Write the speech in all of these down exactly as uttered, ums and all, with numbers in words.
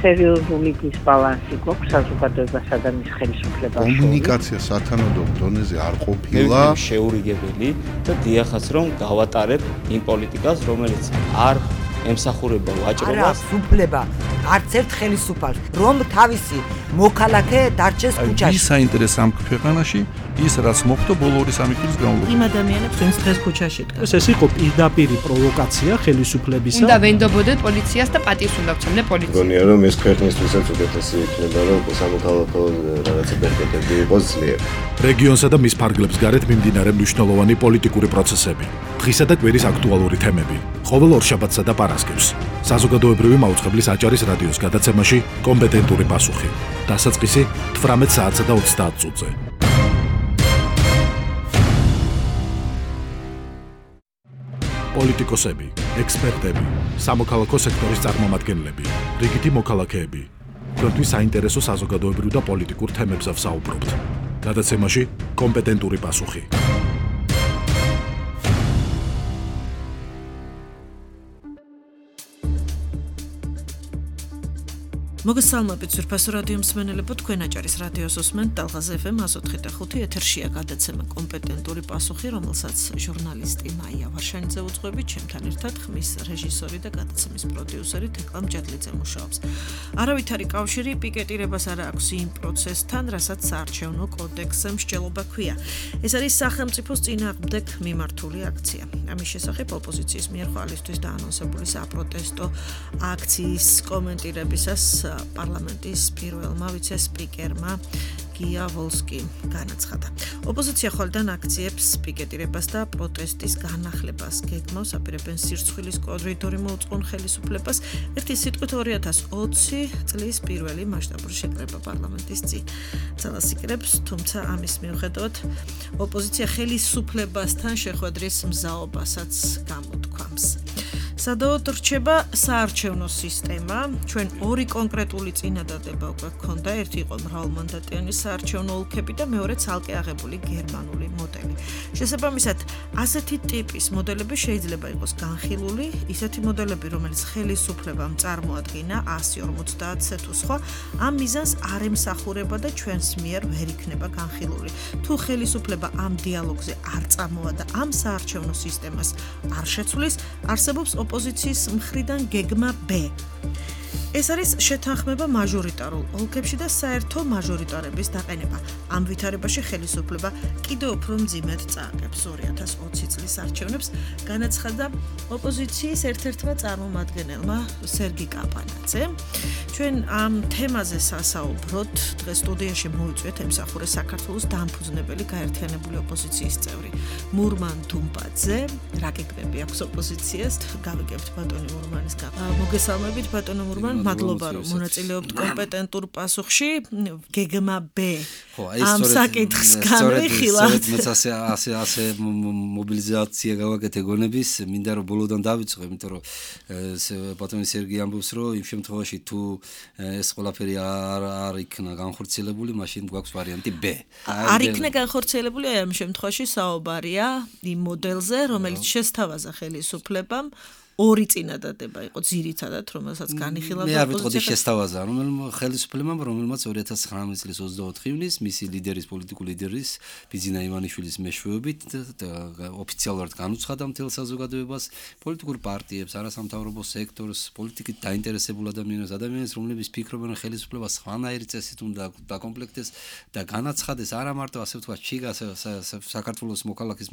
სერიოზული დისბალანსი გვაქვს საზოგადოებასა და მის ხელისუფლებას. კომუნიკაცია სათანადო დონეზე არ ყოფილა. შეურიგებელი და დიახაც რომ გავატარებ იმ პოლიტიკას, რომელიც არ ემსახურება ვაჭრობას. არა, უფლება არც ერთ ხელისუფალს, რომ თავისი მოქალაქე დარჩეს ქუჩაში. ის საინტერესო ამ ქვეყანაში ის რაც მოხდა ბოლო ორი სამი წლის განმავლობაში. იმ ადამიანებს ვინც დღეს ქუჩაში დგას. ეს იყო პირდაპირი პროვოკაცია ხელისუფლებისა. უნდა ვენდობოდეთ პოლიციას და პატივს უნდა ვცემდე პოლიციას. მგონია რომ ეს ქვეყნისთვისაც უკეთესი იქნება რომ სამოქალაქო რაღაცა ბერკეტები იყოს ძლიერ. რეგიონსა და მის ფარგლებს გარეთ მიმდინარე მნიშვნელოვანი პოლიტიკური პროცესები, დღისა და კვირის აქტუალური თემები, ყოველ ორშაბათსა და პარასკევს. საზოგადოებრივი მაუწყებლის აჭარის რადიოს გადაცემაში კომპეტენტური პასუხი. დასაწყისი თვრამეტ საათსა და ოცდაათ წუთზე. პოლიტიკოსები, ექსპერტები, სამოქალაქო სექტორის წარმომადგენლები, რიგითი მოქალაქეები. თქვენთვის საინტერესო საზოგადოებრივ და პოლიტიკურ თემებზე ვსაუბრობთ. გადაცემაში კომპეტენტური პასუხი. მოგესალმებით ძვირფასო რადიო მსმენელებო, თქვენ აჭარის რადიოს უსმენთ ტალღაზ ეფ ემ εκατო ოთხი და ხუთი ეთერშია გადაცემა კომპეტენტური პასუხი, რომელსაც ჟურნალისტი მაია ვარშანიძე უძღვებით, ჩემთან ერთად ხმის რეჟისორი და გადაცემის პროდიუსერი თეკლა მჭედლიძე მუშაობს. არავითარი კავშირი პიკეტირებას არ აქვს იმ პროცესთან, რასაც საარჩევნო კოდექსზე მსჯელობა ჰქვია. ეს არის სახელმწიფოს წინააღმდეგ მიმართული აქცია. ამის შესახებ ოპოზიციის მიერ ხვალისთვის დაანონსებული საპროტესტო აქციის კომენტირებისას პარლამენტის პირველმა ვიცე-სპიკერმა გია ვოლსკიმ განაცხადა. ოპოზიცია ხოლმე აქციებს პიკეტირებას და პროტესტის განახლებას გეგმავს, აპირებენ სირცხვილის კორიდორი მოუწყონ ხელისუფლებას. ერთი სიტყვით ორი ათას ოცი წლის პირველი მასშტაბური შეკრება პარლამენტის წინ ძალასიკრებს, თუმცა ამის მიუხედავად ოპოზიცია ხელისუფლებასთან შეხვედრის მზაობასაც გამოთქვამს. სადავოდ რჩება საარჩევნო სისტემა. ჩვენ ორი კონკრეტული წინადადება უკვე გქონდა. ერთი იყო მრავალმანდატიანი საარჩევნო ოლქები და მეორე ცალკე აღებული გერმანული მოდელი. შესაბამისად, ასეთი ტიპის მოდელები შეიძლება იყოს განხილული, ისეთი მოდელები, რომელიც ხელისუფლებამ წარმოადგინა ასი ორმოცდაათზე თუ სხვა, ამ მიზანს არ ემსახურება და ჩვენს მიერ ვერ იქნება განხილული. თუ ხელისუფლება ამ დიალოგზე არ წამოვა და ამ საარჩევნო სისტემას არ შეცვლის, არსებობს ოპოზიციის მხრიდან გეგმა B. ეს არის შეთანხმება მაჟორიტარულ ოლქებში და საერთო მაჟორიტარების დაყენება. ამ ვითარებაში ხელისუფლება კიდევ უფრო მძიმედ წააგებს ორი ათას ოცი წლის არჩევნებს, განაცხადა ოპოზიციის ერთ-ერთმა წარმომადგენელმა სერგი კაპანაძემ. ჩვენ ამ თემაზე სასაუბროთ. დღეს სტუდიაში მოვიწვიეთ ემსახურე საქართველოს დამფუძნებელი გაერთიანებული ოპოზიციის წევრი მურმან თუმბაძე. რა გეგმები აქვს ოპოზიციას? გავიგებთ ბატონი მურმანის გაბა. მოგესალმებით ბატონო მურმან. მადლობა რომ მონაწილეობთ კომპეტენტურ პასუხში. გეგმა B. ამ საკითხს განვიხილავთ. სწორედ მეც ასე ასე ასე მობილიზაცია გავაკეთე გონების, მინდა რომ ბოლოდან დავიწყო, იმიტომ რომ ბატონი სერგი ამბობს, რომ იმ შემთხვევაში თუ ეს ყველაფერი არ არ იქნა განხორციელებული, მაშინ გვაქვს ვარიანტი B. არ იქნა განხორციელებული, აი ამ შემთხვევაში საუბარია იმ მოდელზე, რომელიც შესთავაზა ხელისუფლებამ. ორი წინადადება იყო ძირითადად, რომელსაც განიხილავდა ოპოზიცია. მე არ ვიტყოდი შესთავაზა, რომელმა ხელისუფლებამ, რომელმაც ორი ათას ცხრამეტ წლის ოცდაოთხი ივნისს მისი ლიდერის, პოლიტიკური ლიდერის ბიძინა ივანიშვილის მეშვეობით ოფიციალურად განუცხადა მთელ საზოგადოებას, პოლიტიკურ პარტიებს, არასამთავრობო სექტორს, პოლიტიკით დაინტერესებულ ადამიანებს, ადამიანებს, რომლებიც ფიქრობენ ხელისუფლება სხვანაირი წესით უნდა დაკომპლექტდეს და განაცხადეს არა მარტო ასე ვთქვათ, ჩიგა საქართველოს მოქალაქის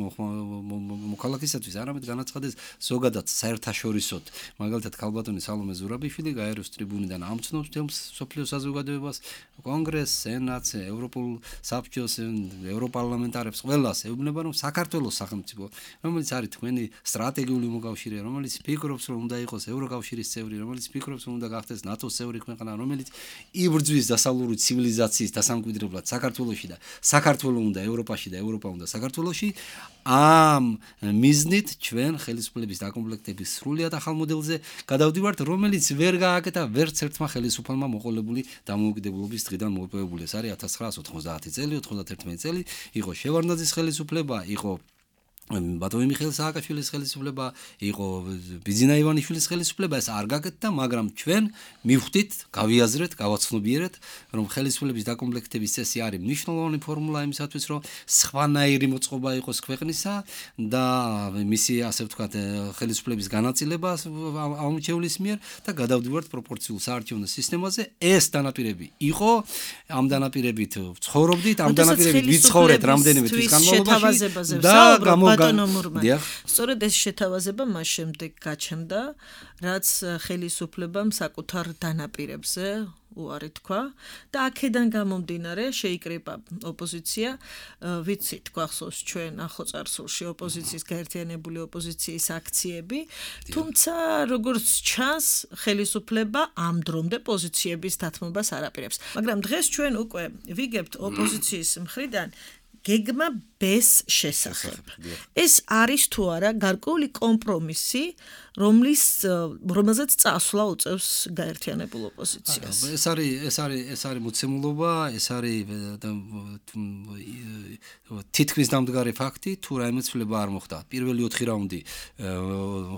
მოქალაქისათვის, არამედ განაცხადეს ზოგადად საერთო შორისოთ, მაგალითად ქალბატონი სალომე ზურაბიშვილი გაეროს ტრიბუნიდან ამცნობს თემს სოფლიო საზოგადოებას, კონგრესს, სენატს, ევროპულ საბჭოს, ევროპარლამენტარებს, ყველას ეუბნება, რომ საქართველოს სახელმწიფო, რომელიც არის თქვენი სტრატეგიული მოკავშირე, რომელიც ფიქრობს, რომ უნდა იყოს ევროკავშირის წევრი, რომელიც ფიქრობს, რომ უნდა გახდეს ნატოს წევრი ქვეყანა, რომელიც იბრძვის დასავლური ცივილიზაციის დასამკვიდრებლად საქართველოში და საქართველოს უნდა ევროპაში და ევროპა უნდა საქართველოში, ამ მიზნით ჩვენ ხელისუფლების დაკომპლექტების სრულიად ახალ მოდელზე გადავდივართ, რომელიც ვერ გააკეთა ვერც ერთმა ხელისუფალმა მოყოლებული დამოუკიდებლობის დღიდან მოპოვებული. ეს არის ათას ცხრაასი ოთხმოცდაათი წელი, ოთხმოცდაათი წელი, იყო შევარდნაძის ხელისუფლება, იყო ბატონი მიხეილ სააკაშვილის ხელისუფლება, იყო ბიძინა ივანიშვილის ხელისუფლება, ეს არ გაკეთდა, მაგრამ ჩვენ მივხვდით, გავიაზრეთ, გავაცნობიერეთ, რომ ხელისუფლების დაკომპლექტების წესი არის მნიშვნელოვანი ფორმულა იმისათვის, რომ სხვანაირი მოწყობა იყოს ქვეყნისა და მისი, ასე ვთქვათ, ხელისუფლების განაწილება ამორჩეულის მიერ და გადავდივართ პროპორციულ საარჩევნო სისტემაზე. ეს დანაპირები იყო, ამ დანაპირებით ცხოვრობდით, ამ დანაპირებით ვიცხოვრეთ რამდენიმე თვის განმავლობაში და გამო სწორედ ეს შეთავაზება მას შემდეგ გაჩნდა, რაც ხელისუფლებამ საკუთარ დანაპირებზე უარი თქვა და აქედან გამომდინარე შეიკრიბა ოპოზიცია, ვიცით, გვახსოვს ჩვენ ახლოწარსულში ოპოზიციის გაერთიანებული ოპოზიციის აქციები, თუმცა როგორც ჩანს, ხელისუფლება ამ დრომდე პოზიციების დათმობას არ აპირებს. მაგრამ დღეს ჩვენ უკვე ვიგებთ ოპოზიციის მხრიდან გეგმა ბეს შესახებ. ეს არის თუ არა გარკვეული კომპრომისი, რომლის რომელზეც წასვლა უწევს გაერთიანებულ ოპოზიციას. ეს არის ეს არის ეს არის მოცემულობა, ეს არის თითქმის დამდგარი ფაქტი, თუ რაიმე ცვლილება არ მოხდა. პირველი ოთხი რაუნდი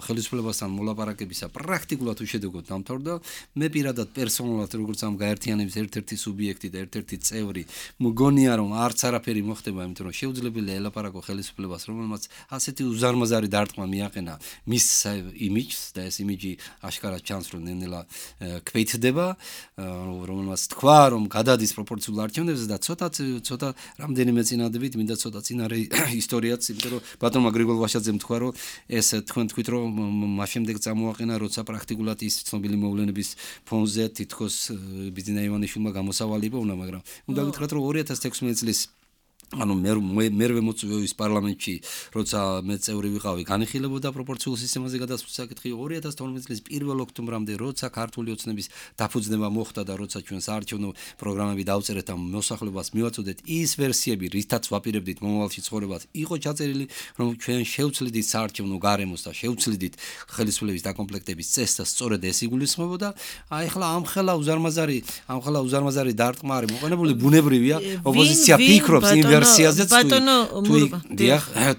ხელისუფლებასთან მოლაპარაკებისა პრაქტიკულად უშედეგოდ დამთავრდა. მე პირადად პერსონალურად როგორც ამ გაერთიანების ერთ-ერთი სუბიექტი და ერთ-ერთი წევრი, მგონია რომ არც არაფერი მოხდება, იმიტომ რომ შეუძლებელია ელაპარაკო ხელისუფლებას, რომელმაც ასეთი უზარმაზარი დარტყმა მიაყენა მის იმიჯს და ეს იმიჯი აშკარად ჩანს, რომ ნენელა ქვეითდება, რომელმაც თქვა, რომ გადადის პროპორციულ არჩევნებზე და ცოტა ცოტა რამდენიმე წინადებით, მინდა ცოტა წინარე ისტორიაც, იმიტომ რომ ბატონმა გრიგოლ ვაშაძემ თქვა, რომ ეს თქვენ თქვით, რომ მას შემდეგ წამოაყენა, როცა პრაქტიკულად ის ცნობილი მოვლენების ფონზე თითქოს ბიძინა ივანიშვილმა გამოსავალი იპოვნა, მაგრამ უნდა გითხრათ, რომ ორი ათას თექვსმეტი წლის ანუ მე მერვე მოწვევის პარლამენტში, როცა მე წევრი ვიყავი, განიხილებოდა პროპორციულ სისტემაზე გადასვლის საკითხი. ორი ათას თორმეტი წლის პირველ ოქტომბრამდე, როცა ქართული ოცნების დაფუძნება მოხდა და როცა ჩვენ საარჩევნო პროგრამები დავწერეთ და მოსახლეობას მივაწოდეთ, ის ვერსიები, რითაც ვაპირებდით მომავალში ცხოვრებას, იყო ჩაწერილი, რომ ჩვენ შევცვლიდით საარჩევნო გარემოს და შევცვლიდით ხელისუფლების დაკომპლექტების წესს და სწორედ ეს იგულისხმებოდა. აი ახლა ამხელა უზარმაზარი, ამხელა უზარმაზარი დარტყმა არის მოყენებული, ბუნებრივია, ოპოზიცია ფიქრობს იმ ვერსიაზეც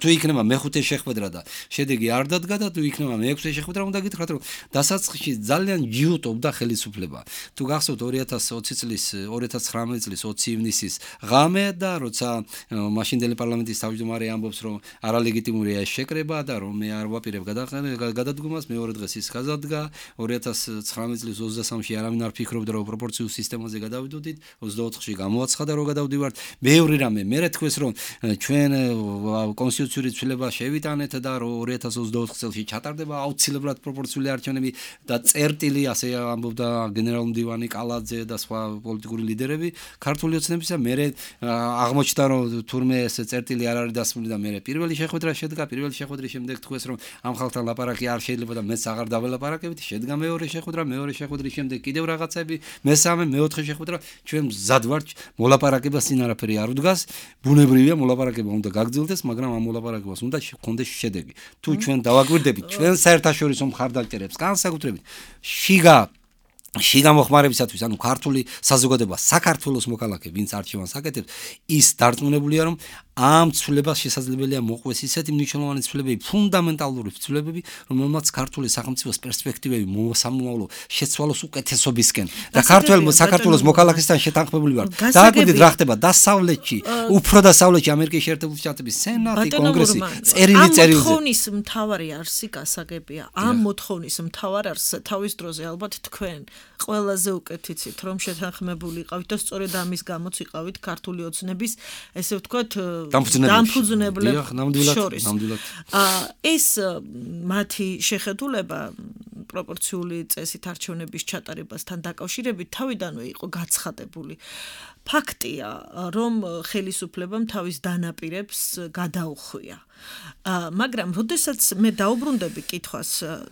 თუ იქნება მეხუთე შეხვედრა და შედეგი არ დადგა და თუ იქნება მეექვსე შეხვედრა, უნდა გითხრათ, რომ დასაწყისში ძალიან ჯიუტობდა ხელისუფლება. თუ გახსოვთ ორი ათას ოცი წლის ორი ათას ცხრამეტი წლის ოცი ივნისის ღამე და როცა მაშინდელი პარლამენტის თავმჯდომარე ამბობს, რომ არალეგიტიმურია ეს შეკრება და რომ მე არ ვაპირებ გადადგომას, მეორე დღეს ის გადადგა. ორი ათას ცხრამეტი წლის ოცდასამში არავინ არ ფიქრობდა, რომ პროპორციულ სისტემაზე გადავიდოდით, ოცდაოთხში გამოაცხადა, რომ გადავდივართ. მეორე რამე მე თქვეს, რომ ჩვენ კონსტიტუციური ცვლილება შევიტანეთ და რომ ორი ათას ოცდაოთხ წელს ჩატარდება აუცილებლად პროპორციული არჩევნები და წერტილი, ასე ამბობდა გენერალ მდივანი კალაძე და სხვა პოლიტიკური ლიდერები ქართული ოცნებისა. მე აღმოჩნდა, რომ თურმე ეს წერტილი არ არის დასმული და მე პირველი შეხვედრა შედგა. პირველი შეხვედრის შემდეგ თქვეს, რომ ამ ხალხთან ლაპარაკი არ შეიძლება და მეც აღარ დაველაპარაკებთ. შედგა მეორე შეხვედრა, მეორე შეხვედრის შემდეგ კიდევ რაღაცები, მესამე, მეოთხე შეხვედრა. ჩვენ მზად ვართ მოლაპარაკებას, წინ არაფერი არ უდგას. ბუნებრივია მოლაპარაკება უნდა გაგრძელდეს, მაგრამ ამ მოლაპარაკებას უნდა ჰქონდეს შედეგი. თუ ჩვენ დავაკვირდებით ჩვენ საერთაშორისო მხარდაჭერებს, განსაკუთრებით შიგა შიგა მოხმარებისათვის, ანუ ქართული საზოგადოება, საქართველოს მოქალაქე, ვინც არჩევანს აკეთებს, ის დარწმუნებულია, რომ ამ ცვლილებას შესაძლებელია მოყვეს ისეთი მნიშვნელოვანი ცვლილებები, ფუნდამენტალური ცვლილებები, რომელმაც ქართული სახელმწიფოს პერსპექტივები მოსამომავლო შეცვალოს უკეთესობისკენ და ქართულ საქართველოს მოქალაქესთან შეთანხმებული ვართ. დააკვირდით რა ხდება დასავლეთში, უფრო დასავლეთში ამერიკის შეერთებული შტატების სენატი, კონგრესი, წერილი წერილზე. ამ მოთხოვნის მთავარი არსი გასაგებია. ამ მოთხოვნის მთავარ არსს თავის დროზე ალბათ თქვენ ყველაზე უკეთ იცით, რომ შეთანხმებული იყავით და სწორედ ამის გამოც იყავით ქართული ოცნების, ესე ვთქვათ, დამფუძნებლებს შორის. ეს მათი შეხედულება პროპორციული წესით არჩევნების ჩატარებასთან დაკავშირებით თავიდანვე იყო გაცხადებული. ფაქტია, რომ ხელისუფლებამ თავის დანაპირებს გადაუხვია. მაგრამ როდესაც მე დაუბრუნდები კითხვას,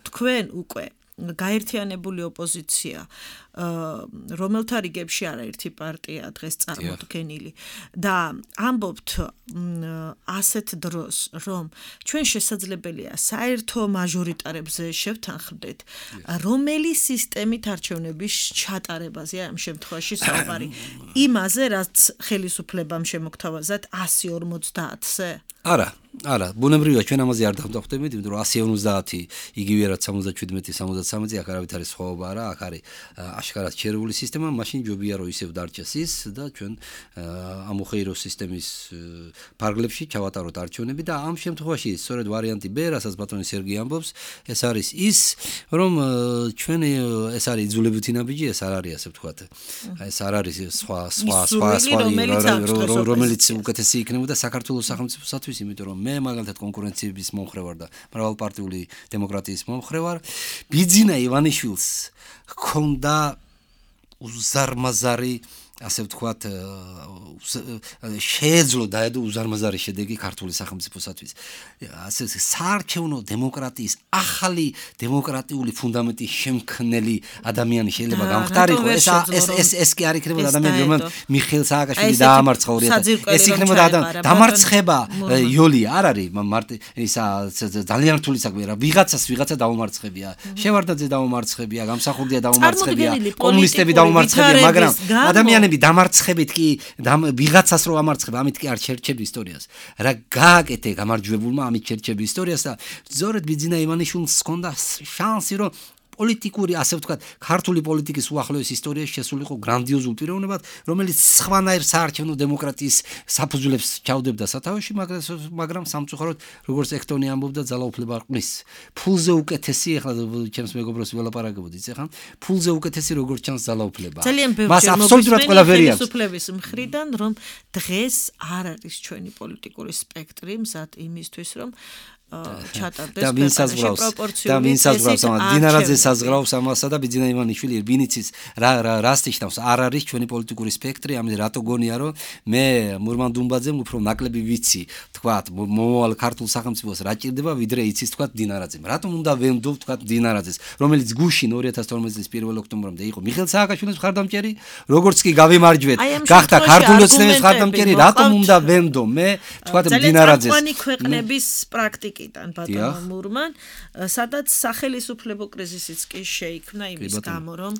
თქვენ უკვე გაერთიანებული ოპოზიცია, რომელთა რიგებში არაერთი პარტია დღეს წარმოდგენილი და ამბობთ ასეთ დროს, რომ ჩვენ შესაძლებელია საერთო მაჟორიტარებზე შევთანხმდეთ, რომელი სისტემით არჩევნების ჩატარებაზე ამ შემთხვევაში საუბარი, იმაზე, რაც ხელისუფლებამ შემოგთავაზათ ასი ორმოცდაათზე? არა. არა, ბუნებრივია ჩვენ ამაზე არ დავდახვდებით, იმიტომ რომ one ოცდაათი იგივე რაც სამოცდაშვიდმეტი სამოცდაცამეტი აქ არავითარი არის სხვაობა არა, აქ არის აშკარად შერეული სისტემა, მაშინ ჯობია რომ ისევ დარჩეს ის და ჩვენ ამოხეირო სისტემის ფარგლებში ჩავატაროთ არჩევნები და ამ შემთხვევაში სწორედ ვარიანტი B, რასაც ბატონი სერგი ამბობს, ეს არის ის, რომ ჩვენ ეს არის იძულებითი ნაბიჯი, ეს არ არის ასე ვთქვათ. ეს არ არის სხვა სხვა სხვა სხვა რომელიც უკეთესი იქნებოდა საქართველოს სახელმწიფოსათვის, იმიტომ რომ მე მაგალითად კონკურენციების მომხრე ვარ და მრავალპარტიული დემოკრატიის მომხრე ვარ. ბიძინა ივანიშვილს ჰქონდა უზარმაზარი ასე ვთქვათ შეეძლო დაედო უზარმაზარი შედეგი ქართული სახელმწიფოსათვის. ასე საარჩევნო დემოკრატიის ახალი დემოკრატიული ფუნდამენტის შემქმნელი ადამიანი შეიძლება გამختارიყო. ეს ეს ეს ეს კი არ იქნებოდა ადამიანი, რომელმაც მიხეილ სააკაშვილი დაამარცხა ორი ათი. ეს იქნებოდა დამარცხება იოლი არ არის მარტი ისა ძალიან რთული საქმეა რა. ვიღაცას ვიღაცა დაუმარცხებია. შევარდაძე დაუმარცხებია, გამსახურდია დაუმარცხებია, კომუნისტები დაუმარცხებია, მაგრამ ადამიანები დამარცხებით კი ვიღაცას რო ამარცხება, ამით კი არ შერჩები ისტორიას. რა გააკეთე გამარჯვებულმა ამით შერჩები ისტორიას და ზორეთ ბიძინა ივანიშვილს ჰქონდა შანსი რომ პოლიტიკური, ასე ვთქვათ, ქართული პოლიტიკის უახლოეს ისტორიაში შესულიყო გრანდიოზულ პიროვნებად, რომელიც სხვანაირ საარჩევნო დემოკრატიის საფუძვლებს ჩაუდებდა სათავეში, მაგრამ სამწუხაროდ, როგორც ექტონი ამბობდა, ძალაუფლება ყრის. ფულზე უკეთესი, ახლა ჩემს მეგობროს ველაპარაკებოდით, ეხლა ფულზე უკეთესი როგორც ჩანს ძალაუფლება. მას აბსოლუტურად ყველაფერი აქვს. ხელისუფლების მხრიდან, რომ დღეს არ არის ჩვენი პოლიტიკური სპექტრი მზად იმისთვის, რომ ჩატარდეს პროპორციული და ვინ საზღვრავს ამას დინარაძე საზღვრავს ამასა და ბიძინა ივანიშვილი ვინიცის რა რას ნიშნავს არ არის ჩვენი პოლიტიკური სპექტრი ამის რატო გონია რომ მე მურმან დუმბაძემ უფრო ნაკლები ვიცი თქვათ მომავალ ქართულ სახელმწიფოს რა ჭირდება ვიდრე იცის თქვათ დინარაძემ რატომ უნდა ვენდო თქვათ დინარაძეს რომელიც გუშინ ორი ათას თორმეტი წლის პირველ ოქტომბრამდე იყო მიხეილ სააკაშვილის მხარდამჭერი როგორც კი გავიმარჯვეთ გახდა ქართული ოცნების მხარდამჭერი რატომ უნდა ვენდო მე თქვათ დინარაძეს ძალიან ქვეყნების პრაქტიკა იდან ბატონო მურმან, სადაც სახელისუფლებო კრიზისიც კი შეიქმნა იმის გამო, რომ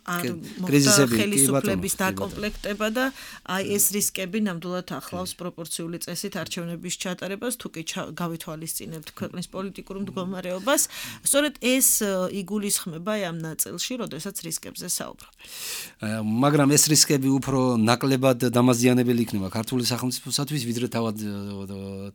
არ მოხდა ხელისუფლების დაკომპლექტება და აი ეს რისკები ნამდვილად ახლავს პროპორციული წესით არჩევნების ჩატარებას, თუ კი გავითვალისწინებთ ქვეყნის პოლიტიკურ მდგომარეობას, სწორედ ეს იგულისხმება ამ ნაწილში, როდესაც რისკებზე საუბრობთ. მაგრამ ეს რისკები უფრო ნაკლებად დამაზიანებელი იქნება ქართული სახელმწიფოსათვის, ვიდრე თავად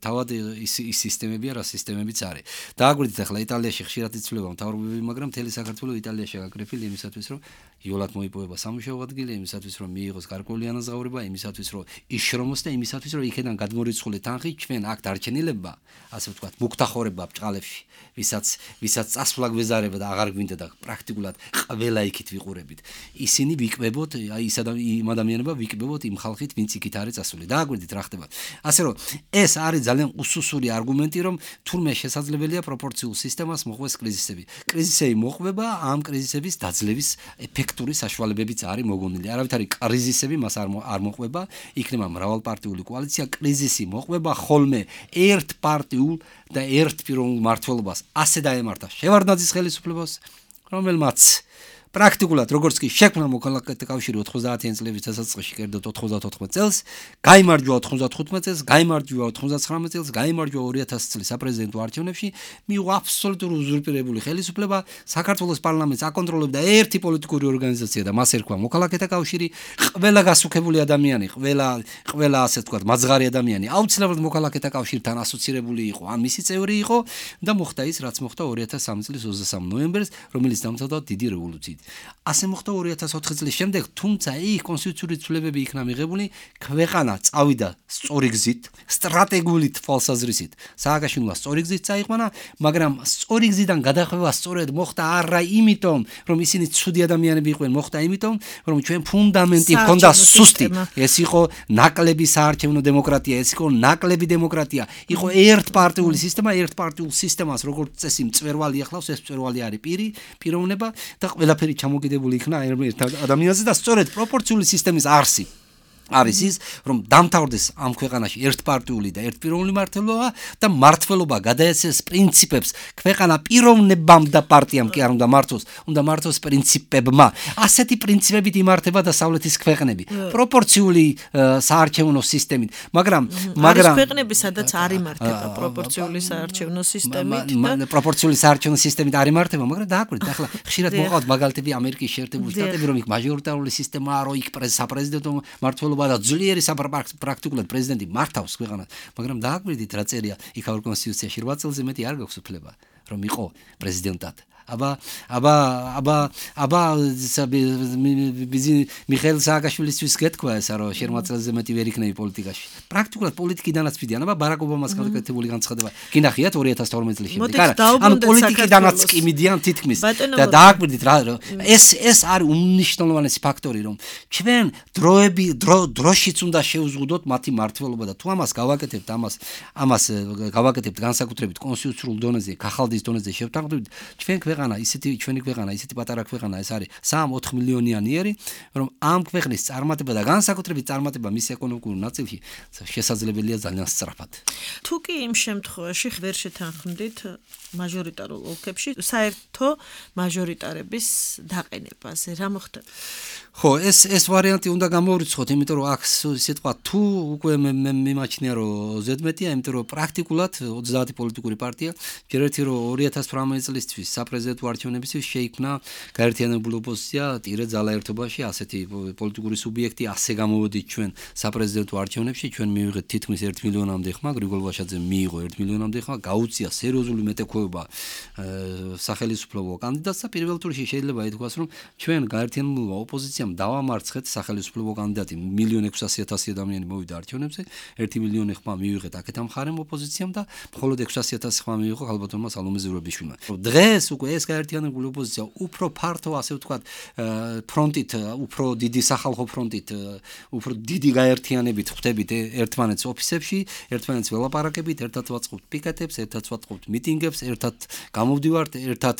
თავად ის სისტემებია, რა სისტემებიც არის. დააგვირდით ახლა იტალიაში ხშირად იცვლება მთავრობები, მაგრამ მთელი საქართველო იტალიაში გაკრეფილი იმისათვის, რომ იოლად მოიპოვება სამუშაო ადგილი, იმისათვის, რომ მიიღოს გარკვეული ანაზღაურება, იმისათვის, რომ იშრომოს და იმისათვის, რომ იქიდან გადმორიცხული თანხი ჩვენ აქ დარჩენილებმა, ასე ვთქვათ, მუქთახორება ბჭყალებში, ვისაც ვისაც წასვლა გვეზარება და აღარ გვინდა და პრაქტიკულად ყველა იქით ვიყურებით. ისინი ვიკბებოთ, აი ის ადამიანება ვიკბებოთ იმ ხალხით, ვინც იქით არის წასული. დააგვირდით რა ხდება. ასე რომ ეს არის ძალიან უსუსური არგუმენტი, რომ თურმე შესაძლებელია პროპორციულ სისტემას მოხვდეს კრიზისები. კრიზისები მოხვდება, ამ კრიზისების დაძლევის ეფექტური საშუალებებიც არის მოგონილი. არავითარი კრიზისები მას არ არ მოხვდება, იქნება მრავალპარტიული კოალიცია, კრიზისი მოხვდება ხოლმე ერთპარტიულ და ერთპიროვნულ მმართველობას. ასე დაემართა შევარდნაძის ხელისუფლებას, რომელმაც პრაქტიკულად როგორც კი შექმნა მოქალაქეთა კავშირი ოცდაათი წლების დასაწყისში კერდოთ ოცდაოთხმეტ წელს, გაიმარჯვა ოცდათხუთმეტ წელს, გაიმარჯვა ოცდაცხრამეტ წელს, გაიმარჯვა ორი ათასი წლის საპრეზიდენტო არჩევნებში, მიიღო აბსოლუტური უზურპირებული ხელისუფლება, საქართველოს პარლამენტს აკონტროლებდა ერთი პოლიტიკური ორგანიზაცია და მას ერქვა მოქალაქეთა კავშირი, ყველა გასუქებული ადამიანი, ყველა ყველა ასე ვთქვათ, მაძღარი ადამიანი აუცილებლად მოქალაქეთა კავშირთან ასოცირებული იყო, ან მისი წევრი იყო და მოხდა ის, რაც მოხდა ორი ათას სამი წლის ოცდასამი ნოემბერს, რომელიც დამთავრდა დიდი რევოლუციით. ასე მოხდა ორი ათას ოთხი წლის შემდეგ, თუმცა იქ კონსტიტუციური ცვლილებები იქნა მიღებული, ქვეყანა წავიდა სწორი გზით, სტრატეგიული თვალსაზრისით. სააკაშვილმა სწორი გზით წაიყვანა, მაგრამ სწორი გზიდან გადახვევა სწორედ მოხდა არა იმიტომ, რომ ისინი ცუდი ადამიანები იყვნენ, მოხდა იმიტომ, რომ ჩვენ ფუნდამენტი ჰქონდა სუსტი. ეს იყო ნაკლები საარჩევნო დემოკრატია, ეს იყო ნაკლები დემოკრატია. იყო ერთპარტიული სისტემა, ერთპარტიულ სისტემას როგორც წესი მწვერვალი ახლავს, ეს მწვერვალი არის პირი, პიროვნება და ყველაფერი ჩამოკიდებული იქნა ერთ ადამიანზე და სწორედ პროპორციული სისტემის არსი არის ის, რომ დამთავრდეს ამ ქვეყანაში ერთპარტიული და ერთპიროვნული მართლობა და მართლობა გადაეცეს პრინციპებს ქვეყანა პიროვნებამ და პარტიამ კი არ უნდა მართოს, უნდა მართოს პრინციპებმა. ასეთი პრინციპებით იმართება დასავლეთის ქვეყნები, პროპორციული საარჩევნო სისტემით, მაგრამ მაგრამ არის ქვეყნები, სადაც არ იმართება პროპორციული საარჩევნო სისტემით და პროპორციული საარჩევნო სისტემით არ იმართება, მაგრამ დააკვირდით, ახლა ხშირად მოყავთ მაგალითები ამერიკის შეერთებული შტატები, რომ იქ მაჟორიტარული სისტემაა, რომ იქ საპრეზიდენტო მართლობა და ძლიერი პრაქტიკულად პრეზიდენტი მართავს ქვეყანას, მაგრამ დააკვირდით რა წერია იქაურ კონსტიტუციაში რვა წელზე მეტი არ გაქვს უფლება რომ იყო პრეზიდენტად. აბა აბა აბა აბა მიხეილ სააკაშვილისთვის გეთქვა ესა რომ შერმაწელზე მეტი ვერ იქნები პოლიტიკაში. პრაქტიკულად პოლიტიკიდანაც მიდიან, აბა ბარაკ ობამას გაკეთებული განცხადება. გინახიათ ორი ათას თორმეტ წლის შემდეგ. არა, ანუ პოლიტიკიდანაც კი მიდიან თითქმის. და დააკვირდით რა ეს ეს არის უმნიშვნელოვანესი ფაქტორი, რომ ჩვენ დროები დროშიც უნდა შევზღუდოთ მათი მართლობა და თუ ამას გავაკეთებთ, ამას ამას გავაკეთებთ განსაკუთრებით კონსტიტუციურ დონეზე, ხალხის დონეზე შევთანხმდებით, ჩვენ ქვეყანა, ისეთი ჩვენი ქვეყანა, ისეთი პატარა ქვეყანა ეს არის სამი-ოთხ მილიონიანი, რომ ამ ქვეყნის წარმატება და განსაკუთრებით წარმატება მის ეკონომიკურ ნაწილში შესაძლებელია ძალიან სწრაფად. თუ კი იმ შემთხვევაში ვერ შეთანხმდით მაჟორიტარულ ოლქებში საერთო მაჟორიტარების დაყენებაზე, რა მოხდება? ხო, ეს ეს ვარიანტი უნდა გამოვრიცხოთ, იმიტომ რომ აქ სიტყვა თუ უკვე მიმაჩნია რომ ზედმეტია, იმიტომ რომ პრაქტიკულად ოცდაათი პოლიტიკური პარტია ჯერ ერთი რომ ორი ათას თვრამეტი წლისთვის საპრეზიდენტო არჩევნებისთვის შეიქმნა გაერთიანებული ოპოზიცია ტირე ძალაერთობაში, ასეთი პოლიტიკური სუბიექტი, ასე გამოვედით ჩვენ საპრეზიდენტო არჩევნებში, ჩვენ მივიღეთ თითქმის ერთ მილიონამდე ხმა, გრიგოლ ვაშაძემ მიიღო ერთ მილიონამდე ხმა, გაუწია სერიოზული მეტექვეობა სახელმწიფო კანდიდატს და პირველ ტურში შეიძლება ითქვას, რომ ჩვენ გაერთიანებული ოპოზიცია დავამარცხეთ სახელმწიფო კანდიდატი მილიონ ექვსასი ათასი ადამიანი მოვიდა არჩევნებზე, ერთი მილიონი ხმა მივიღეთ აქეთ ამ ხარემ ოპოზიციამ და მხოლოდ ექვსასი ათასი ხმა მიიღო ხალბატონმა სალომე ზურაბიშვილმა. დღეს უკვე ეს გაერთიანებული ოპოზიცია უფრო ფართო, ასე ვთქვათ, ფრონტით, უფრო დიდი სახალხო ფრონტით, უფრო დიდი გაერთიანებით ხვდებით ერთმანეთს ოფისებში, ერთმანეთს ველაპარაკებით, ერთად ვაწყობთ პიკეტებს, ერთად ვაწყობთ მიტინგებს, ერთად გამოვდივართ, ერთად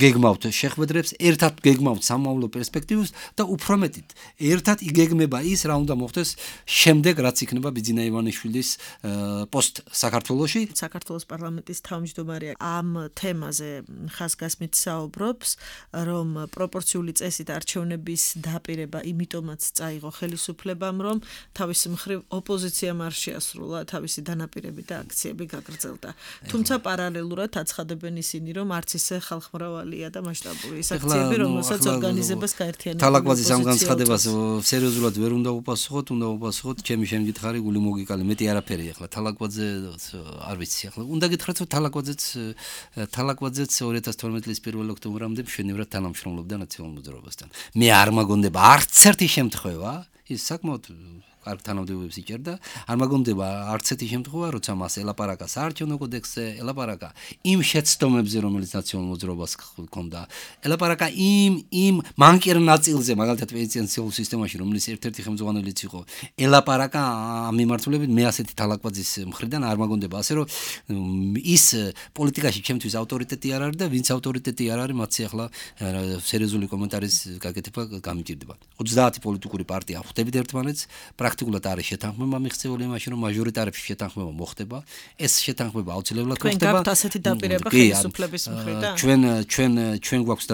გეგმავთ შეხვედრებს, ერთად გეგმავთ სამომავლო პერსპექტივას და უფრო მეტით, ერთად იგეგმება ის, რა უნდა მოხდეს შემდეგ, რაც იქნება ბიძინა ივანიშვილის პოსტ საქართველოში. საქართველოს პარლამენტის თავმჯდომარე ამ თემაზე ხაზგასმით საუბრობს, რომ პროპორციული წესით არჩევნების დაპირება იმიტომაც წაიღო ხელისუფლებამ, რომ თავის მხრივ ოპოზიციამ არ შეასრულა თავისი დანაპირები და აქციები გაგრძელდა. თუმცა პარალელურად აცხადებენ ისინი, რომ არც ისე ხალხმრავალია და მასშტაბური ის აქციები, რომელსაც ორგანიზებას გაერთიანებული თალაკვაძის ამ განცხადებას სერიოზულად ვერ უნდა უპასუხოთ, უნდა უპასუხოთ ჩემი შემგითხარი გული მოგიკალე, მეტი არაფერი ახლა თალაკვაძე არ ვიცი ახლა. უნდა გითხრათ, რომ თალაკვაძეც თალაკვაძეც ორი ათას თორმეტი წლის პირველ ოქტომბრამდე მშვენივრად თანამშრომლობდა ნაციონალურ მოძრაობასთან. მე არ მაგონდება არც ერთი შემთხვევა, ის საკმაოდ კარგ თანამდებობებს იჭერდა, არ მაგონდება არც ერთი შემთხვევა, როცა მას ელაპარაკა საარჩევნო კოდექსზე, ელაპარაკა იმ შეცდომებზე, რომელიც ნაციონალურ მოძრაობას ჰქონდა, ელაპარაკა იმ იმ მანკიერ ნაწილზე, მაგალითად პენსიურ სისტემაში, რომელიც ერთ-ერთი ხელმძღვანელიც იყო, ელაპარაკა ამ მიმართულებით, მე ასეთი თალაკვაძის მხრიდან არ მაგონდება, ასე რომ ის პოლიტიკაში ჩემთვის ავტორიტეტი არ არის და ვინც ავტორიტეტი არ არის, მათი ახლა სერიოზული კომენტარის გაკეთება გამიჭირდება. ოცდაათი პოლიტიკური პარტია ხვდებით ერთმანეთს, პრაქტიკულად არის შეთანხმება მიღწეული იმაში, რომ მაჟორიტარებში შეთანხმება მოხდება. ეს შეთანხმება აუცილებლად ხდება. თქვენ გაქვთ ასეთი დაპირება ხელისუფლების მხრიდან? ჩვენ ჩვენ ჩვენ გვაქვს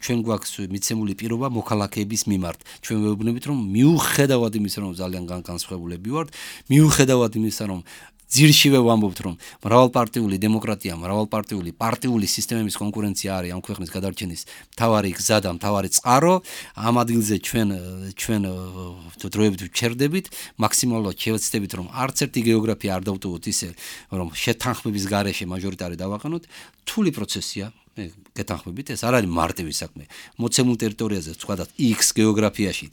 ჩვენ გვაქვს მიცემული პირობა მოქალაქეების მიმართ. ჩვენ ვეუბნებით, რომ მიუხედავად იმისა, რომ ძალიან განსხვავებულები ვართ, მიუხედავად იმისა, რომ ძირშივე ვამბობთ, რომ მრავალპარტიული დემოკრატია, მრავალპარტიული პარტიული სისტემების კონკურენცია არის ამ ქვეყნის გადარჩენის მთავარი გზა და მთავარი წყარო. ამ ადგილზე ჩვენ ჩვენ დროებით ვჩერდებით, მაქსიმალურად შევეცდებით, რომ არც ერთი გეოგრაფია არ დავტოვოთ ისე, რომ შეთანხმების გარეშე მაჟორიტარი დავაყენოთ. რთული პროცესია. გეთანხმებით, ეს არ არის მარტივი საქმე. მოცემულ ტერიტორიაზე, ვთქვათ, X გეოგრაფიაში,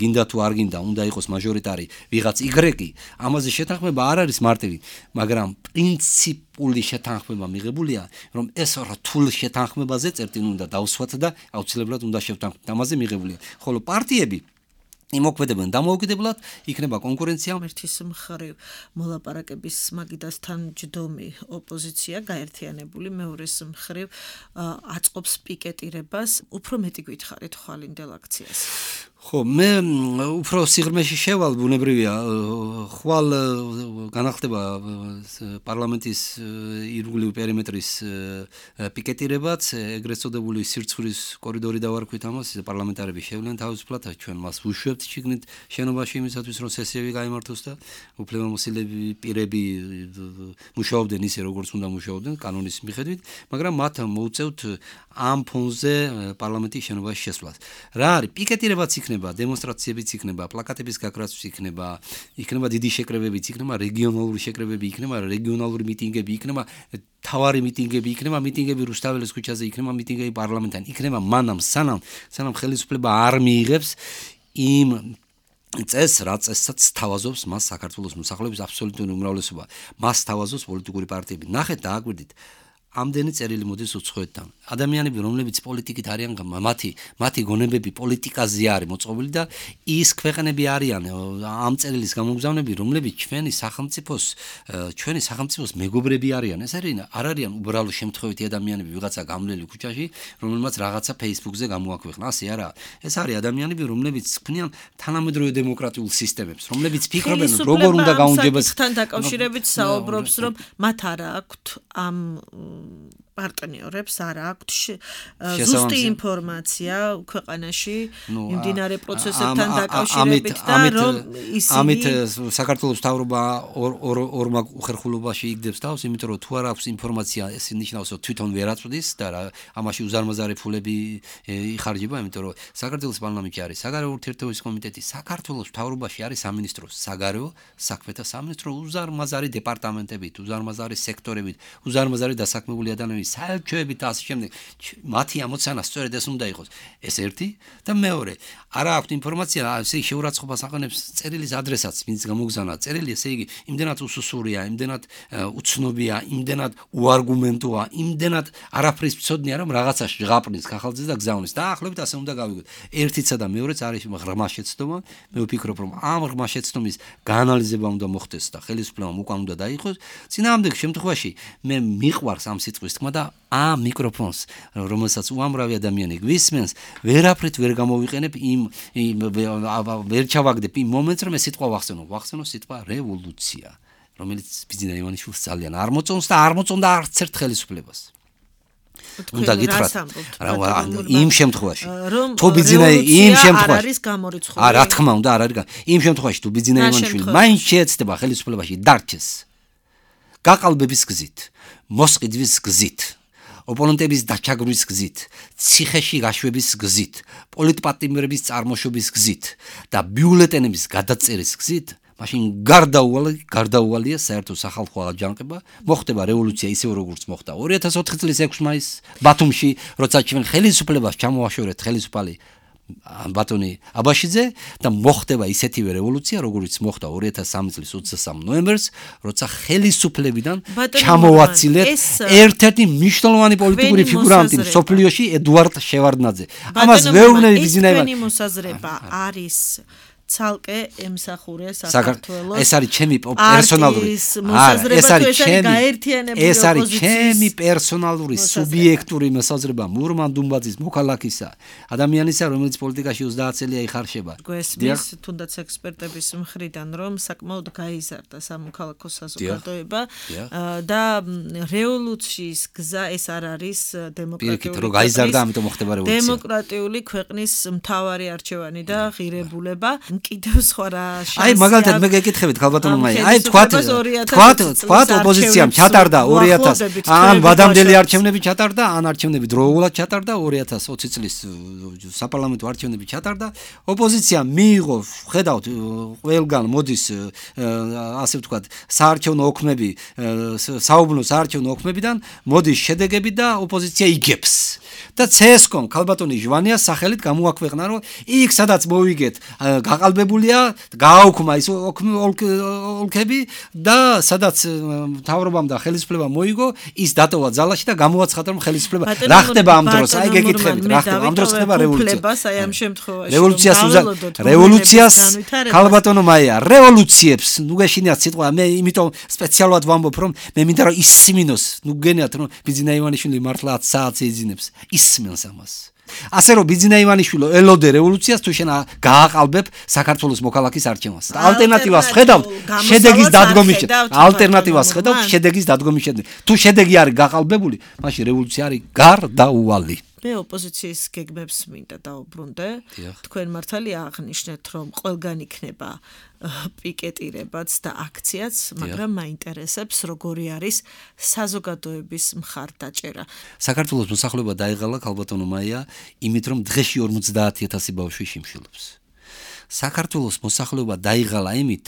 გინდა თუ არ გინდა, უნდა იყოს მაჟორიტარი ვიღაც Y, ამაზე შეთანხმება არ არის მარტივი, მაგრამ პრინციპული შეთანხმება მიღებულია, რომ ეს რთულ შეთანხმებაზე წერტილი უნდა დავსვათ და აუცილებლად უნდა შევთანხმდეთ. ამაზე მიღებულია. ხოლო პარტიები იმოქმედებენ დამოუკიდებლად, იქნება კონკურენცია. ერთის მხრივ მოლაპარაკების მაგიდასთან ჯდომი ოპოზიცია გაერთიანებული, მეორეს მხრივ აწყობს პიკეტირებას. უფრო მეტი გითხარით ხვალინდელ აქციას. ხო, მე უფრო სიღრმეში შევალ ბუნებრივია, ხვალ განახდება პარლამენტის ირგვლივ პერიმეტრის პიკეტირებაც, ეგრეთ წოდებული სირცხვილის კორიდორი დავარქვით ამას, პარლამენტარები შევლენ თავისუფლად, ჩვენ მას ვუშვებთ შიგნით შენობაში იმისათვის, რომ სესიები გაიმართოს და უფლებამოსილები პირები მუშაობდნენ ისე, როგორც უნდა მუშაობდნენ კანონის მიხედვით, მაგრამ მათ მოუწევთ ამ ფონზე პარლამენტის შენობაში შესვლას. რა არის პიკეტირებაც იქნება, დემონსტრაციებიც იქნება, პლაკატების გაქრაც იქნება, იქნება დიდი შეკრებებიც იქნება, რეგიონალური შეკრებები იქნება, რეგიონალური მიტინგები იქნება, თავარი მიტინგები იქნება, მიტინგები რუსთაველის ქუჩაზე იქნება, მიტინგები პარლამენტთან იქნება, მანამ სანამ სანამ ხელისუფლება არ მიიღებს იმ წეს რა წესაც თავაზობს მას საქართველოს მოსახლეობის აბსოლუტური უმრავლესობა. მას თავაზობს პოლიტიკური პარტიები. ნახეთ და აგვირდით ამდენი წერილი მოდის უცხოეთთან. ადამიანები, რომლებიც პოლიტიკით არიან, მათი მათი გონებები პოლიტიკაზე არის მოწყობილი და ის ქვეყნები არიან ამ წერილის გამომგზავნები, რომლებიც ჩვენი სახელმწიფოს ჩვენი სახელმწიფოს მეგობრები არიან. ეს არის არ არიან უბრალო შემთხვევითი ადამიანები, ვიღაცა გამლელი ქუჩაში, რომელმაც რაღაცა Facebook-ზე გამოაქვეყნა. ასე არა. ეს არის ადამიანები, რომლებიც ქმნიან თანამედროვე დემოკრატიულ სისტემებს, რომლებიც ფიქრობენ, როგორ უნდა გაუნჯებოს თან დაკავშირებით საუბრობს, რომ მათ არ აქვთ ამ პარტნიორებს არ აქვთ ზუსტი ინფორმაცია ქვეყანაში იმდინარე პროცესებთან დაკავშირებით და რომ ისინი ამით საქართველოს მთავრობა ორმა უხერხულობაში იგდებს თავს, იმიტომ რომ თუ არ აქვს ინფორმაცია, ეს ნიშნავს, რომ თვითონ ვერ აწვდის და ამაში უზარმაზარი ფულები იხარჯება, იმიტომ რომ საქართველოს პარლამენტში არის საგარეო ურთიერთობების კომიტეტი, საქართველოს მთავრობაში არის სამინისტრო საგარეო საქმეთა სამინისტრო, უზარმაზარი დეპარტამენტებით, უზარმაზარი სექტორებით, უზარმაზარი დასაქმებული ადამიანები, საელჩოები და ასე შემდეგ. მათი ამოცანა სწორედ ეს უნდა იყოს. ეს ერთი და მეორე, არა აქვს ინფორმაცია, ესე იგი შეურაცხყოფას აყენებს წერილის ადრესატს, ვინც გამოგზავნა წერილი, ესე იგი იმდენად უსუსურია, იმდენად უცნობია, იმდენად უარგუმენტოა, იმდენად არაფრის მცოდნია, რომ რაღაცა ჟღაპნის ხახალძეს და გზავნის. დაახლოებით ასე უნდა გავიგოთ. ერთიცა და მეორეც არის ღრმა შეცდომა. მე ვფიქრობ, რომ ამ ღრმა შეცდომის გაანალიზება უნდა მოხდეს და ხელისუფლებამ უკან უნდა დაიხოს. წინააღმდეგ შემთხვევაში მე მიყვარს ამ სიტყვის თქმა და ამ მიკროფონს, რომელსაც უამრავი ადამიანი გვისმენს, ვერაფრით ვერ გამოვიყენებ იმ ვერ ჩავაგდებ იმ მომენტს, რომ ეს სიტყვა ვახსენო. ვახსენო სიტყვა რევოლუცია, რომელიც ბიძინა ივანიშვილს ძალიან არ მოწონს და არ მოწონდა არც ერთ ხელისუფლებას. უნდა გითხრათ, იმ შემთხვევაში, თუ ბიძინა იმ შემთხვევაში არის გამორიცხული. რა თქმა უნდა, არ არის. იმ შემთხვევაში თუ ბიძინა ივანიშვილი მაინც შეეცდება ხელისუფლებაში დარჩეს გაყალბების გზით, მოსყიდვის გზით, ოპონენტების დაჩაგვრვის გზით, ციხეში გაშვების გზით, პოლიტპატიმრების წარმოშობის გზით და ბიულეტენების გადაწერის გზით, მაშინ გარდაუვალი, გარდაუვალია საერთო სახალხო აჯანყება, მოხდება რევოლუცია ისე როგორც მოხდა ორი ათას ოთხი წლის ექვსი მაისს ბათუმში, როცა ჩვენ ხელისუფლებას ჩამოვაშორეთ ხელისუფალი ბატონი აბაშიძე და მოხდება ისეთივე რევოლუცია, როგორც მოხდა ორი ათას სამი წლის ოცდასამი ნოემბერს, როცა ხელისუფლებიდან ჩამოვაცილეთ ერთ-ერთი მნიშვნელოვანი პოლიტიკური ფიგურანტი სოფლიოში ედუარდ შევარდნაძე. ამას ვეუბნები ბიძინა ივანიშვილი. ეს მოსაზრება არის ცალკე ემსახურე საქართველოს. ეს არის ჩემი პერსონალური ეს არის ჩემი ეს არის ჩემი პერსონალური სუბიექტური მოსაზრება მურმან დუმბაძის მოქალაქისა, ადამიანისა, რომელიც პოლიტიკაში ოცდაათ წელია იხარშება. გვესმის თუნდაც ექსპერტების მხრიდან, რომ საკმაოდ გაიზარდა სამოქალაქო საზოგადოება და რევოლუციის გზა ეს არ არის დემოკრატიული დემოკრატიული ქვეყნის მთავარი არჩევანი და ღირებულება. კიდევ სხვა რა შანსი. აი მაგალითად მე გეკითხებით ქალბატონო მაია. აი თქვათ თქვათ თქვათ ოპოზიციამ ჩატარდა ორი ათას ან ვადამდელი არჩევნები ჩატარდა, ან არჩევნები დროულად ჩატარდა ორი ათას ოცი წლის საპარლამენტო არჩევნები ჩატარდა. ოპოზიცია მიიღო, ხედავთ, ყველგან მოდის ასე ვთქვათ, საარჩევნო ოქმები, საუბნო საარჩევნო ოქმებიდან მოდის შედეგები და ოპოზიცია იგებს. და ცესკომ ქალბატონი ჟვანიას სახელით გამოაქვეყნა, რომ იქ სადაც მოვიგეთ გაყალბებულია, გააუქმა ის ოლქები და სადაც მთავრობამ და ხელისუფლებამ მოიგო, ის დატოვა ძალაში და გამოაცხადა, რომ ხელისუფლება რა ხდება ამ დროს, აი გეკითხებით, რა ხდება ამ დროს ხდება რევოლუცია. აი ამ შემთხვევაში რევოლუციას რევოლუციას ქალბატონო მაია, რევოლუციებს, ნუ გეშინიათ სიტყვა, მე იმიტომ სპეციალურად ვამბობ, რომ მე მინდა რომ ისმინოს, ნუ გენიათ, რომ ბიძინა ივანიშვილი მართლა ათ საათს ეძინებს. ისმენს ამას. ასე რომ ბიძინა ივანიშვილო ელოდე რევოლუციას თუ შენ გააყალბებ საქართველოს მოქალაქის არჩევანს. ალტერნატივას ხედავთ შედეგის დადგომის ალტერნატივას ხედავთ შედეგის დადგომის შემდეგ. თუ შედეგი არის გაყალბებული, მაშინ რევოლუცია არის გარდაუვალი. მე ოპოზიციის გეგმებს მინდა დაუბრუნდე. თქვენ მართალია აღნიშნეთ, რომ ყველგან იქნება პიკეტირებაც და აქციაც, მაგრამ მაინტერესებს, როგორი არის საზოგადოების მხარდაჭერა. საქართველოს მოსახლეობა დაიღალა ქალბატონო მაია, იმით რომ დღეში ორმოცდაათი ათასი ბავშვი შიმშილობს. საქართველოს მოსახლეობა დაიღალა იმით,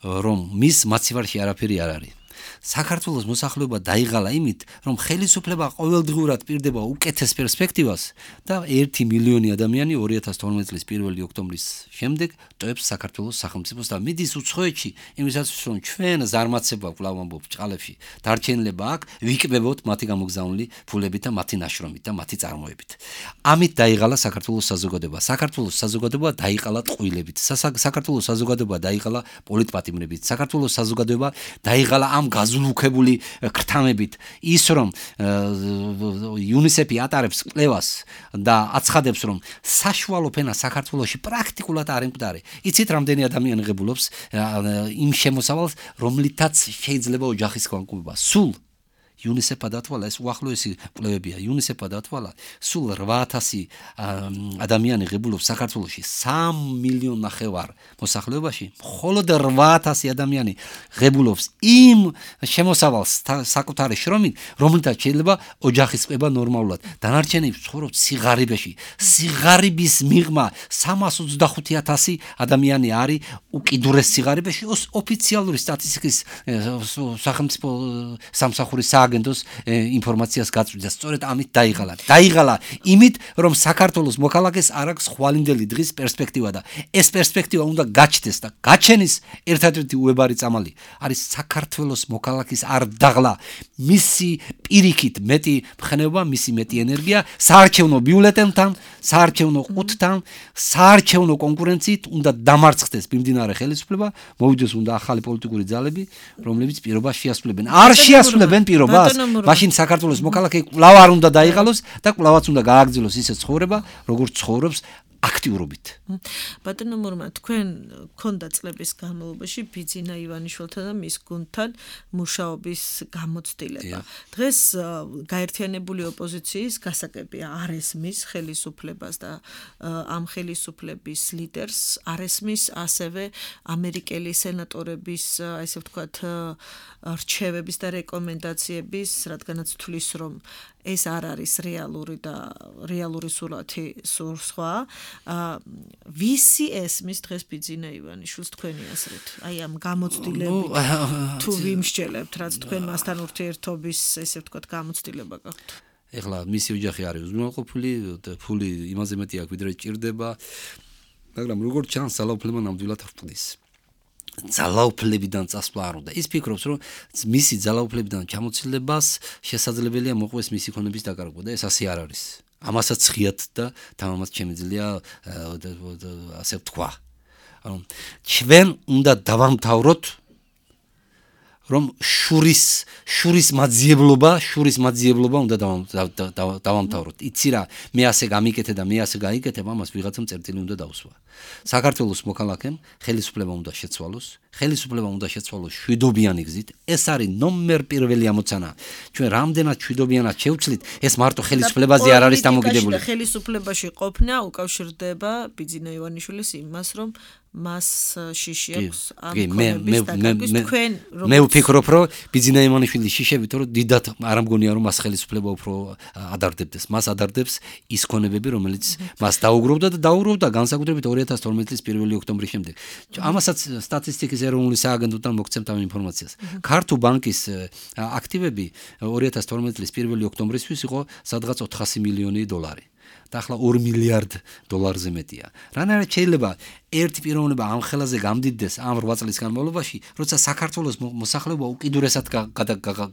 რომ მის მაცივარში არაფერი არ არის. საქართველოს მოსახლეობა დაიღალა იმით, რომ ხელისუფლება ყოველდღურად პირდება უკეთეს პერსპექტივას და ერთი მილიონი ადამიანი ორი ათას თორმეტი წლის პირველი ოქტომბრის შემდეგ ტოვებს საქართველოს სახელმწიფოს და მიდის უცხოეთში, იმისათვის რომ ჩვენ ზარმაცება კვლავ ამბობ ჭყალებში დარჩენილება აქ ვიკბებოთ მათი გამოგზავნილი ფულებით და მათი ნაშრომით და მათი წარმოებით. ამით დაიღალა საქართველოს საზოგადოება. საქართველოს საზოგადოება დაიყალა ტყუილებით. საქართველოს საზოგადოება დაიყალა პოლიტპატიმრებით. საქართველოს საზოგადოება დაიღალა ამ გაზულუქებული ქრთამებით. ის რომ იუნისეფი ატარებს კვლევას და აცხადებს რომ საშუალო ფენა საქართველოში პრაქტიკულად არ ემკვდარი. იცით რამდენი ადამიანი ღებულობს იმ შემოსავალს, რომლითაც შეიძლება ოჯახის განკურნება. სულ იუნისეფა დათვალა, ეს უახლოესი კვლევებია, იუნისეფა დათვალა, სულ რვა ათასი ადამიანი ღებულობს საქართველოში სამ მილიონ ნახევარ მოსახლეობაში, მხოლოდ რვა ათასი ადამიანი ღებულობს იმ შემოსავალს საკუთარი შრომით, რომლითაც შეიძლება ოჯახის ყება ნორმალურად. დანარჩენები ცხოვრობთ სიღარიბეში. სიღარიბის მიღმა სამას ოცდახუთი ათასი ადამიანი არის უკიდურეს სიღარიბეში. ოფიციალური სტატისტიკის სახელმწიფო სამსახურის აგენტოს ინფორმაციას გაწვდიდა. სწორედ ამით დაიღალა. დაიღალა იმით, რომ საქართველოს მოქალაქეს არ აქვს ხვალინდელი დღის პერსპექტივა და ეს პერსპექტივა უნდა გაჩნდეს და გაჩენის ერთადერთი უებარი წამალი არის საქართველოს მოქალაქის არ დაღლა. მისი პირიქით მეტი მხნეობა, მისი მეტი ენერგია საარჩევნო ბიულეტენთან, საარჩევნო ყუთთან, საარჩევნო კონკურენციით უნდა დამარცხდეს მიმდინარე ხელისუფლება, მოვიდეს უნდა ახალი პოლიტიკური ძალები, რომლებიც პირობას შეასრულებენ. არ შეასრულებენ პირობას, მაშინ საქართველოს მოქალაქე კვლავ არ უნდა დაიღალოს და კვლავაც უნდა გააგრძელოს ისე ცხოვრება, როგორც ცხოვრობს აქტიურობით. ბატონო მურმა, თქვენ ქონდა წლების განმავლობაში ბიძინა ივანიშვილთან და მის გუნდთან მუშაობის გამოცდილება. დღეს გაერთიანებული ოპოზიციის გასაგებია არ ესმის ხელისუფლებას და ამ ხელისუფლების ლიდერს არ ესმის ასევე ამერიკელი სენატორების, ესე ვთქვათ, რჩევების და რეკომენდაციების, რადგანაც თulis რომ ეს არ არის რეალური და რეალური სურათი სხვა. ვისი ესმის დღეს ბიძინა ივანიშვილს თქვენი აზრით? აი ამ გამოცდილებით თუ ვიმსჯელებთ, რაც თქვენ მასთან ურთიერთობის, ესე ვთქვათ, გამოცდილება გაქვთ. ეხლა მისი ოჯახი არის უზრუნველყოფილი, ფული იმაზე მეტი აქვს, ვიდრე ჭირდება, მაგრამ როგორც ჩანს, ძალაუფლება ნამდვილად ვრწნის. ძალაუფლებიდან წასვლა არ უნდა. ის ფიქრობს, რომ მისი ძალაუფლებიდან ჩამოცილებას შესაძლებელია მოყვეს მისი ქონების დაკარგვა და ეს ასე არ არის. ამასაც ხიათ და თამამად შემიძლია ასე ვთქვა. ანუ ჩვენ უნდა დავამთავროთ რომ შურის შურის მაძიებლობა, შურის მაძიებლობა უნდა დავამთავროთ. იცი რა, მე ასე გამიკეთე და მე ასე გაიკეთებ, ამას ვიღაცამ წერტილი უნდა დაუსვა. საქართველოს მოქალაქემ ხელისუფლება უნდა შეცვალოს, ხელისუფლება უნდა შეცვალოს შვიდობიანი გზით. ეს არის ნომერ პირველი ამოცანა. ჩვენ რამდენად შვიდობიანად შევცვლით, ეს მარტო ხელისუფლებაზე არ არის დამოკიდებული. ხელისუფლებაში ყოფნა უკავშირდება ბიძინა ივანიშვილის იმას, რომ მას შიში აქვს ამ ქონების დაკარგვის. თქვენ მე ვფიქრობ, რომ ბიძინა ივანიშვილის შიშებით რომ დიდად არ ამგონია რომ მას ხელისუფლება უფრო ადარდებდეს. მას ადარდებს ის ქონებები, რომელიც მას დაუგროვდა და დაუგროვდა განსაკუთრებით ორი ათას თორმეტი წლის პირველი ოქტომბრის შემდეგ. ამასაც სტატისტიკის ეროვნული სააგენტოდან მოგცემთ ამ ინფორმაციას. ქართულ ბანკის აქტივები ორი ათას თორმეტი წლის პირველი ოქტომბრისთვის იყო სადღაც ოთხასი მილიონი დოლარი. და ახლა ორი მილიარდ დოლარზე მეტია. რანაირად შეიძლება ერთი პიროვნება ამ ხელაზე გამდიდდეს ამ რვა წლის განმავლობაში, როცა საქართველოს მოსახლეობა უკიდურესად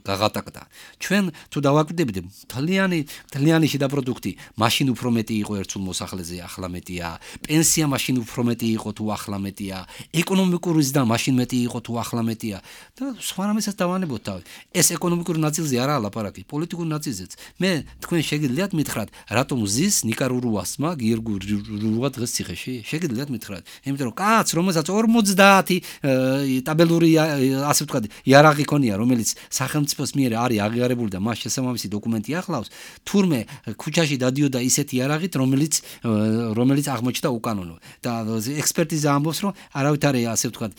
გაღატაკდა. ჩვენ თუ დავაკვირდებით, თლიანი თლიანი შიდა პროდუქტი მაშინ უფრო მეტი იყო ერთსულ მოსახლეზე, ახლა მეტია. პენსია მაშინ უფრო მეტი იყო თუ ახლა მეტია. ეკონომიკური ზრდა მაშინ მეტი იყო თუ ახლა მეტია. და სხვა რამესაც დავანებოთ თავი. ეს ეკონომიკური ნაწილზე არაა ლაპარაკი, პოლიტიკური ნაწილზეც. მე თქვენ შეგიძლიათ მითხრათ, რატომ ზის ნიკა რურუასმა გიორგი რურუა დღეს ციხეში შეგიძლიათ მითხრათ იმიტომ რომ კაც რომელსაც ორმოცდაათი ტაბელური ასე ვთქვათ იარაღი ქონია რომელიც სახელმწიფოს მიერ არის აღიარებული და მას შესაბამისი დოკუმენტი ახლავს თურმე ქუჩაში დადიოდა ისეთი იარაღით რომელიც რომელიც აღმოჩნდა უკანონო და ექსპერტიზა ამბობს რომ არავითარი ასე ვთქვათ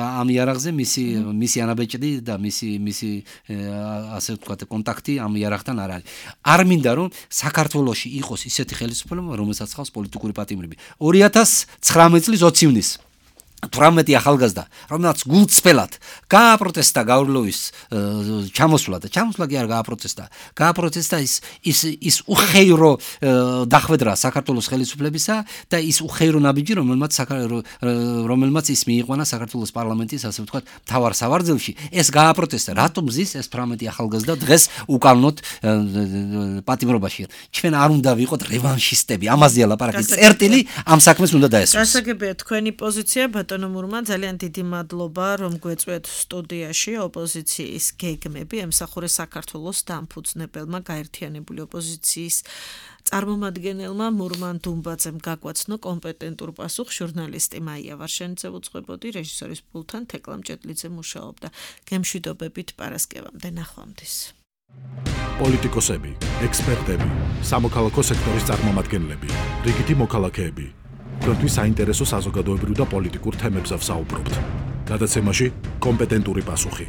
ამ იარაღზე მისი მისი ანაბეჭდი და მისი მისი ასე ვთქვათ კონტაქტი ამ იარაღთან არ არის არ მინდა რომ საქართველოში იყოს ისეთი ხელისუფლება რომელსაც ხავს პოლიტიკური პატიმრები ორი ათას ცხრამეტი წლის ოცი ივნისს თვრამეტი ახალგაზრდა რომელსაც გულწრფელად გააპროტესტა გავრილოვის ჩამოსვლა და ჩამოსვლა კი არ გააპროტესტა გააპროტესტა ის ის ის უხეირო დახვედრა საქართველოს ხელისუფლებისა და ის უხეირო ნაბიჯი რომელმაც რომელმაც ის მიიყვანა საქართველოს პარლამენტის ასე ვთქვათ მთავარ სავარძელში ეს გააპროტესტა რატომ ზის ეს თვრამეტი ახალგაზრდა დღეს უკანონოდ პატიმრობაში ჩვენ არ უნდა ვიყოთ რევანშისტები ამაზეა ლაპარაკი წერტილი ამ საქმეს უნდა დაესწროს გასაგებია თქვენი პოზიცია ბატონო ძალიან დიდი მადლობა რომ გვეწვეთ სტუდიაში ოპოზიციის გეგმები ემსახურეს საქართველოს დამფუძნებელმა გაერთიანებული ოპოზიციის წარმომადგენელმა მურმან დუმბაძემ გაგვაცნო კომპეტენტურ პასუხს ჟურნალისტი მაია ვარშენიძე უძღვებოდი რეჟისორის პულთან თეკლა მჭედლიძე მუშაობდა გემშვიდობებით პარასკევამდე ნახვამდის პოლიტიკოსები ექსპერტები სამოქალაქო სექტორის წარმომადგენლები რიგითი მოქალაქეები თქვენთვის საინტერესო საზოგადოებრივ და პოლიტიკურ თემებზე ვსაუბრობთ. გადაცემაში კომპეტენტური პასუხი.